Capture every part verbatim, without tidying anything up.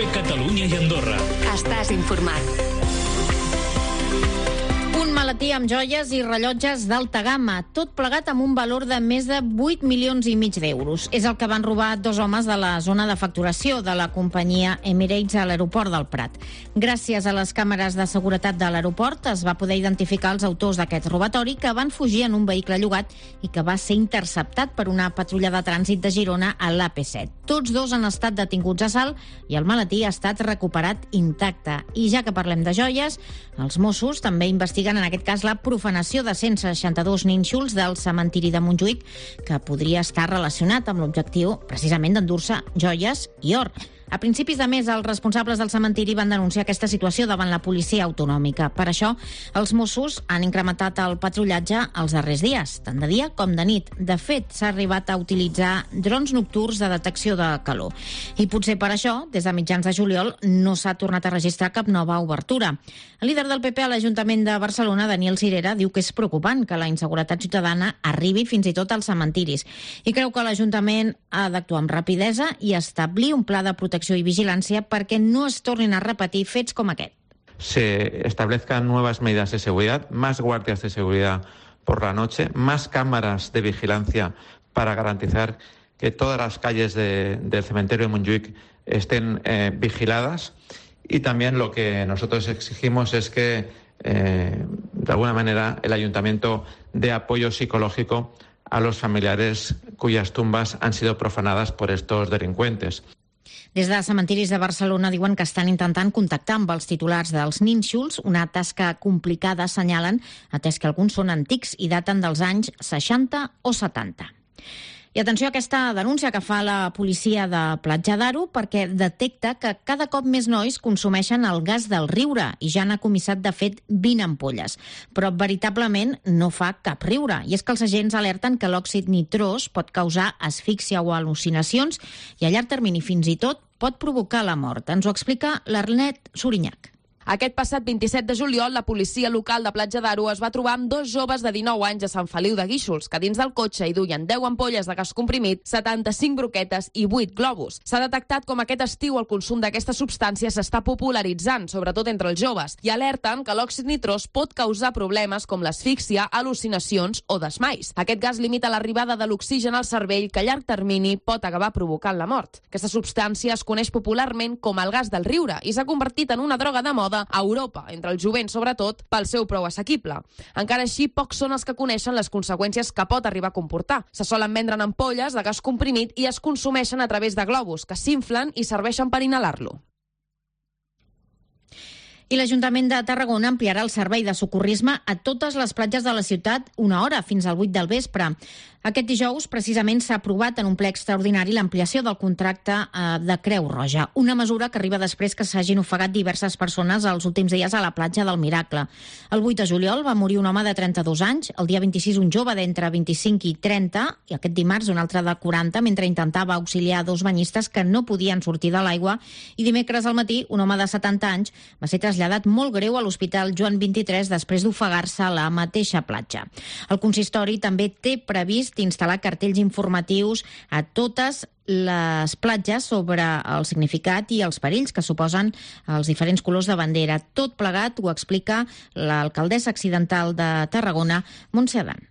Catalunya i Andorra. Estàs informat. Un maletí amb joies i rellotges d'alta gamma, tot plegat amb un valor de més de vuit milions i mig d'euros. És el que van robar dos homes de la zona de facturació de la companyia Emirates a l'aeroport del Prat. Gràcies a les càmeres de seguretat de l'aeroport es va poder identificar els autors d'aquest robatori, que van fugir en un vehicle llogat i que va ser interceptat per una patrulla de trànsit de Girona a l'A P set. Tots dos han estat detinguts a Salt i el maletí ha estat recuperat intacte. I ja que parlem de joies, els Mossos també investiguen en aquest cas la profanació de cent seixanta-dos nínxols del cementiri de Montjuïc, que podria estar relacionat amb l'objectiu precisament d'endur-se joies i or. A principis de mes, els responsables del cementiri van denunciar aquesta situació davant la policia autonòmica. Per això, els Mossos han incrementat el patrullatge els darrers dies, tant de dia com de nit. De fet, s'ha arribat a utilitzar drons nocturns de detecció de calor. I potser per això, des de mitjans de juliol, no s'ha tornat a registrar cap nova obertura. El líder del P P a l'Ajuntament de Barcelona, Daniel Sirera, diu que és preocupant que la inseguretat ciutadana arribi fins i tot als cementiris i creu que l'Ajuntament ha d'actuar amb rapidesa i establir un pla de protecció i vigilància perquè no es tornin a repetir fets com aquest. Se establezcan nuevas medidas de seguridad, más guardias de seguridad por la noche, más cámaras de vigilancia para garantizar que todas las calles de, del cementerio de Montjuïc estén eh, vigiladas. Y también lo que nosotros exigimos es que, eh, de alguna manera, el Ayuntamiento dé apoyo psicológico a los familiares cuyas tumbas han sido profanadas por estos delincuentes. Des de cementiris de Barcelona diuen que estan intentant contactar amb els titulars dels nínxols, una tasca complicada, assenyalen, atès que alguns són antics i daten dels anys seixanta o setanta. I atenció a aquesta denúncia que fa la policia de Platja d'Aro, perquè detecta que cada cop més nois consumeixen el gas del riure i ja n'ha comissat de fet vint ampolles. Però veritablement no fa cap riure. I és que els agents alerten que l'òxid nitrós pot causar asfíxia o al·lucinacions i a llarg termini fins i tot pot provocar la mort. Ens ho explica l'Arlet Sorinyac. Aquest passat vint-i-set de juliol, la policia local de Platja d'Aro es va trobar amb dos joves de dinou anys a Sant Feliu de Guíxols, que dins del cotxe hi duien deu ampolles de gas comprimit, setanta-cinc broquetes i vuit globus. S'ha detectat com aquest estiu el consum d'aquesta substància s'està popularitzant, sobretot entre els joves, i alerten que l'òxid nitrós pot causar problemes com l'asfíxia, al·lucinacions o desmais. Aquest gas limita l'arribada de l'oxigen al cervell, que a llarg termini pot acabar provocant la mort. Aquesta substància es coneix popularment com el gas del riure i s'ha convertit en una droga de moda a Europa, entre el jovent sobretot, pel seu preu assequible. Encara així, pocs són els que coneixen les conseqüències que pot arribar a comportar. Se solen vendre en ampolles de gas comprimit i es consumeixen a través de globus, que s'inflen i serveixen per inhalar-lo. I l'Ajuntament de Tarragona ampliarà el servei de socorrisme a totes les platges de la ciutat una hora, fins al vuit del vespre. Aquest dijous, precisament, s'ha aprovat en un ple extraordinari l'ampliació del contracte eh, de Creu Roja, una mesura que arriba després que s'hagin ofegat diverses persones els últims dies a la platja del Miracle. El vuit de juliol va morir un home de trenta-dos anys, el dia vint-i-sis un jove d'entre vint-i-cinc i trenta, i aquest dimarts un altre de quaranta, mentre intentava auxiliar dos banyistes que no podien sortir de l'aigua, i dimecres al matí un home de setanta anys va ser traslladat molt greu a l'Hospital Joan vint-i-tres després d'ofegar-se a la mateixa platja. El consistori també té previst instal·lar cartells informatius a totes les platges sobre el significat i els perills que suposen els diferents colors de bandera. Tot plegat ho explica l'alcaldessa accidental de Tarragona, Montse Adán.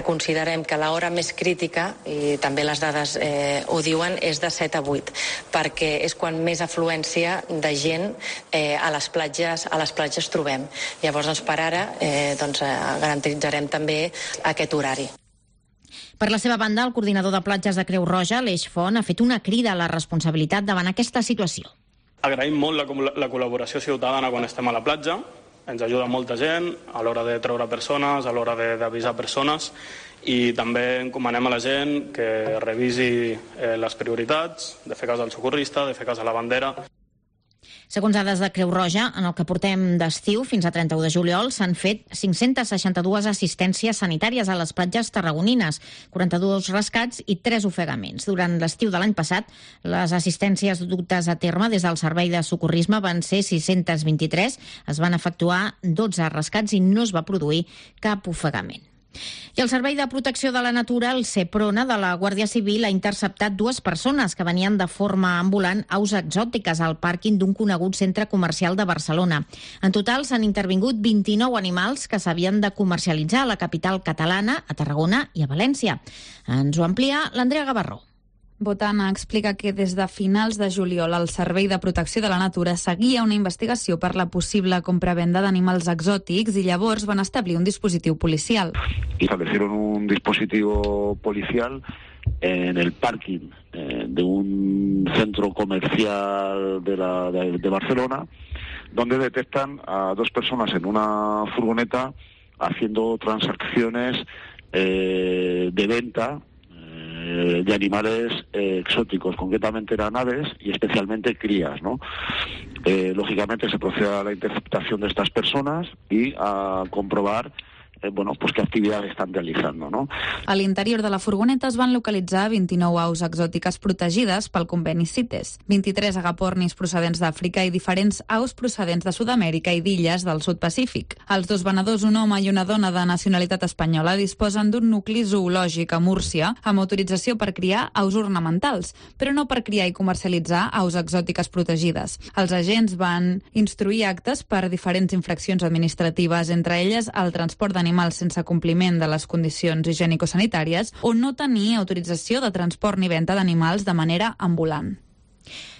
Considerem que l'hora més crítica, i també les dades eh, ho diuen, és de set a vuit, perquè és quan més afluència de gent eh, a les platges a les platges trobem. Llavors, doncs, per ara, eh, doncs, eh, garantitzarem també aquest horari. Per la seva banda, el coordinador de platges de Creu Roja, Aleix Font, ha fet una crida a la responsabilitat davant aquesta situació. Agraïm molt la, la col·laboració ciutadana quan estem a la platja. Ens ajuda molta gent a l'hora de treure persones, a l'hora d'avisar persones, i també encomanem a la gent que revisi eh, les prioritats, de fer cas al socorrista, de fer cas a la bandera. Segons dades de Creu Roja, en el que portem d'estiu fins a trenta-u de juliol s'han fet cinc-cents seixanta-dues assistències sanitàries a les platges tarragonines, quaranta-dos rescats i tres ofegaments. Durant l'estiu de l'any passat, les assistències dutes a terme des del Servei de Socorrisme van ser sis-cents vint-i-tres, es van efectuar dotze rescats i no es va produir cap ofegament. I el Servei de Protecció de la Natura, el SEPRONA, de la Guàrdia Civil, ha interceptat dues persones que venien de forma ambulant aus exòtiques al pàrquing d'un conegut centre comercial de Barcelona. En total s'han intervingut vint-i-nou animals que s'havien de comercialitzar a la capital catalana, a Tarragona i a València. Ens ho amplia l'Andrea Gavarró. Botana explica que des de finals de juliol el Servei de Protecció de la Natura seguia una investigació per la possible compravenda d'animals exòtics y llavors van establir un dispositiu policial. Establecieron un dispositivo policial en el parking eh, de un centro comercial de, la, de, de Barcelona, donde detectan a dos personas en una furgoneta haciendo transacciones eh, de venta de animales eh, exóticos, concretamente eran aves y especialmente crías, ¿no? Eh, lógicamente se procede a la interceptación de estas personas y a comprobar Eh, bueno, pues qué actividades estan realitzant, no? A l'interior de la furgoneta es van localitzar vint-i-nou aus exòtiques protegides pel conveni CITES, vint-i-tres agapornis procedents d'Àfrica i diferents aus procedents de Sud-amèrica i d'illes del sud Pacífic. Els dos venedors, un home i una dona de nacionalitat espanyola, disposen d'un nucli zoològic a Múrcia amb autorització per criar aus ornamentals, però no per criar i comercialitzar aus exòtiques protegides. Els agents van instruir actes per diferents infraccions administratives, entre elles el transport d'animals animals sense compliment de les condicions higiènico-sanitàries o no tenir autorització de transport ni venda d'animals de manera ambulant.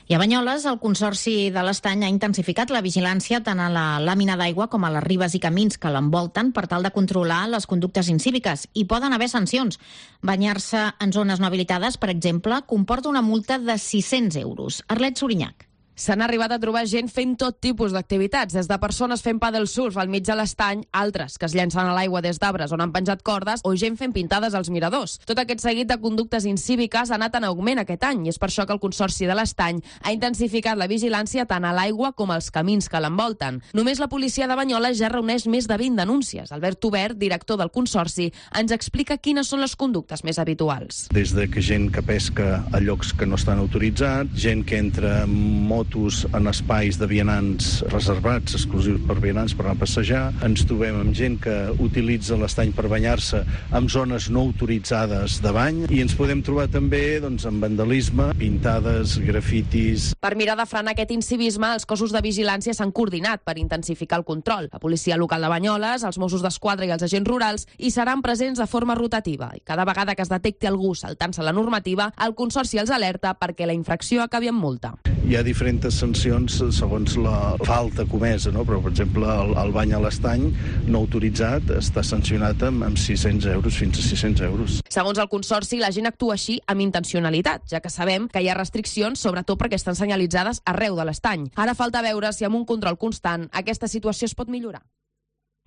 I a Banyoles, el Consorci de l'Estany ha intensificat la vigilància tant a la làmina d'aigua com a les ribes i camins que l'envolten per tal de controlar les conductes incíviques. I poden haver sancions. Banyar-se en zones no habilitades, per exemple, comporta una multa de sis-cents euros. Arlet Sorinyac. S'han arribat a trobar gent fent tot tipus d'activitats, des de persones fent paddle surf al mig de l'estany, altres que es llencen a l'aigua des d'arbres on han penjat cordes o gent fent pintades als miradors. Tot aquest seguit de conductes incíviques ha anat en augment aquest any i és per això que el Consorci de l'Estany ha intensificat la vigilància tant a l'aigua com als camins que l'envolten. Només la policia de Banyoles ja reuneix més de vint denúncies. Albert Obert, director del Consorci, ens explica quines són les conductes més habituals. Des de que gent que pesca a llocs que no estan autoritzats, gent que entra amb motos en espais de vianants reservats, exclusius per vianants per anar a passejar. Ens trobem amb gent que utilitza l'estany per banyar-se en zones no autoritzades de bany i ens podem trobar també doncs, amb vandalisme, pintades, grafitis. Per mirar de frenar aquest incivisme, els cossos de vigilància s'han coordinat per intensificar el control. La policia local de Banyoles, els Mossos d'Esquadra i els agents rurals hi seran presents de forma rotativa i cada vegada que es detecti algú saltant-se la normativa, el Consorci els alerta perquè la infracció acabi amb multa. Hi ha diferents sancions segons la falta comesa, no? Però, per exemple, el, el bany a l'estany no autoritzat està sancionat amb, amb sis-cents euros, fins a sis-cents euros. Segons el Consorci, la gent actua així amb intencionalitat, ja que sabem que hi ha restriccions, sobretot perquè estan senyalitzades arreu de l'estany. Ara falta veure si amb un control constant aquesta situació es pot millorar.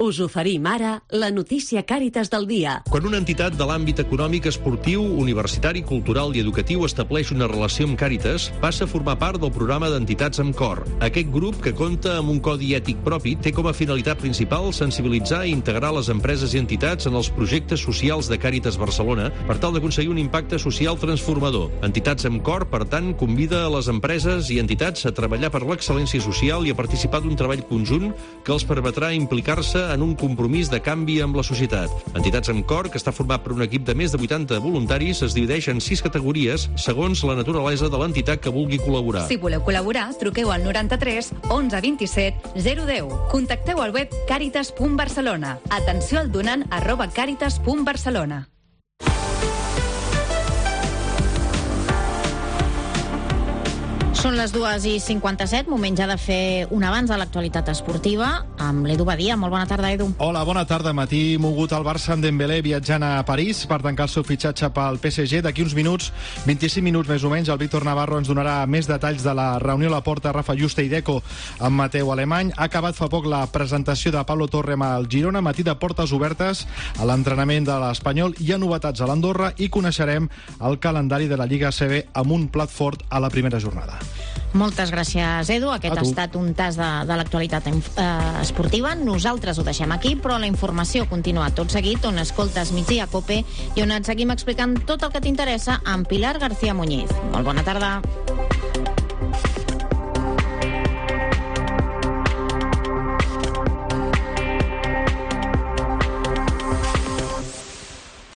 Us oferim ara la notícia Càritas del dia. Quan una entitat de l'àmbit econòmic, esportiu, universitari, cultural i educatiu estableix una relació amb Càritas, passa a formar part del programa d'entitats amb cor. Aquest grup, que compta amb un codi ètic propi, té com a finalitat principal sensibilitzar i integrar les empreses i entitats en els projectes socials de Càritas Barcelona per tal d'aconseguir un impacte social transformador. Entitats amb cor, per tant, convida a les empreses i entitats a treballar per l'excel·lència social i a participar d'un treball conjunt que els permetrà implicar-se en un compromís de canvi amb la societat. Entitats amb cor, que està format per un equip de més de vuitanta voluntaris, es divideix en sis categories segons la naturalesa de l'entitat que vulgui col·laborar. Si voleu col·laborar, truqueu al noranta-tres onze vint-i-set zero deu. Contacteu al web càritas punt barcelona. Atenció al donant arroba càritas punt barcelona. Són les dues i cinquanta-set, moment ja de fer un avanç a l'actualitat esportiva amb l'Edu Badia. Molt bona tarda, Edu. Hola, bona tarda. Matí mogut al Barça amb Dembélé viatjant a París per tancar el seu fitxatge pel P S G. D'aquí uns minuts, vint-i-cinc minuts més o menys, el Víctor Navarro ens donarà més detalls de la reunió a la porta Rafa Juste i Deco amb Mateu Alemany. Ha acabat fa poc la presentació de Pablo Torre amb el Girona, matí de portes obertes a l'entrenament de l'Espanyol. Hi ha novetats a l'Andorra i coneixerem el calendari de la Lliga A C B amb un plat fort a la primera jornada. Moltes gràcies, Edu. Aquest ha estat un tas de, de l'actualitat eh, esportiva. Nosaltres ho deixem aquí, però la informació continua tot seguit, on escoltes Migdia Cope i on et seguim explicant tot el que t'interessa amb Pilar García Muñiz. Molt bona tarda.